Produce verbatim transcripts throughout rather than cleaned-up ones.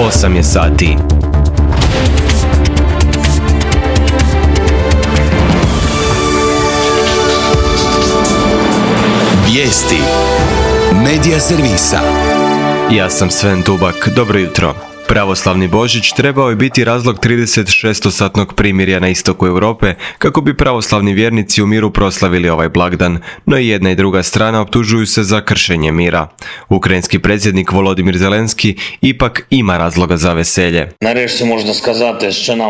osam je sati. Vijesti Medija servisa. Ja sam Sven Tubak, dobro jutro. Pravoslavni Božić trebao je biti razlog trideset šestosatnog primirja na istoku Europe kako bi pravoslavni vjernici u miru proslavili ovaj blagdan, no i jedna i druga strana optužuju se za kršenje mira. Ukrajinski predsjednik Volodimir Zelenski ipak ima razloga za veselje.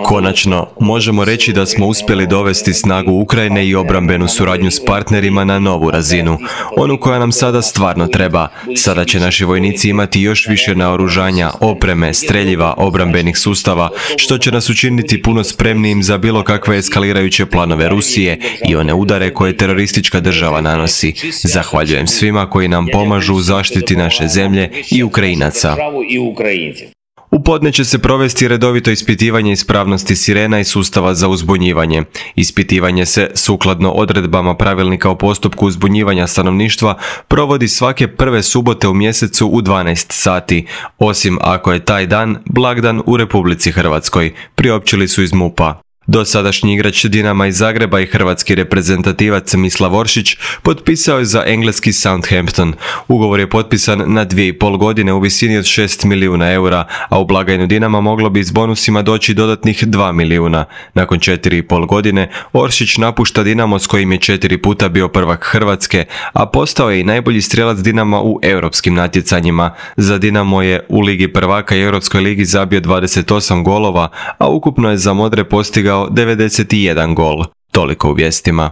Konačno, možemo reći da smo uspjeli dovesti snagu Ukrajine i obrambenu suradnju s partnerima na novu razinu, onu koja nam sada stvarno treba. Sada će naši vojnici imati još više naoružanja, opreme, streljiva, obrambenih sustava, što će nas učiniti puno spremnijim za bilo kakve eskalirajuće planove Rusije i one udare koje teroristička država nanosi. Zahvaljujem svima koji nam pomažu u zaštiti naše zemlje i Ukrajinaca. U podne će se provesti redovito ispitivanje ispravnosti sirena i sustava za uzbunjivanje. Ispitivanje se, sukladno odredbama pravilnika o postupku uzbunjivanja stanovništva, provodi svake prve subote u mjesecu u dvanaest sati, osim ako je taj dan blagdan u Republici Hrvatskoj, priopćili su iz MUP-a. Dosadašnji igrač Dinama iz Zagreba i hrvatski reprezentativac Mislav Oršić potpisao je za engleski Southampton. Ugovor je potpisan na dvije i pol godine u visini od šest milijuna eura, a u blagajnu Dinama moglo bi s bonusima doći dodatnih dva milijuna. Nakon četiri i pol godine Oršić napušta Dinamo s kojim je četiri puta bio prvak Hrvatske, a postao je i najbolji strijelac Dinama u europskim natjecanjima. Za Dinamo je u Ligi prvaka i Europskoj ligi zabio dvadeset osam golova, a ukupno je za modre postigao devedeset jedan gol. Toliko u vijestima.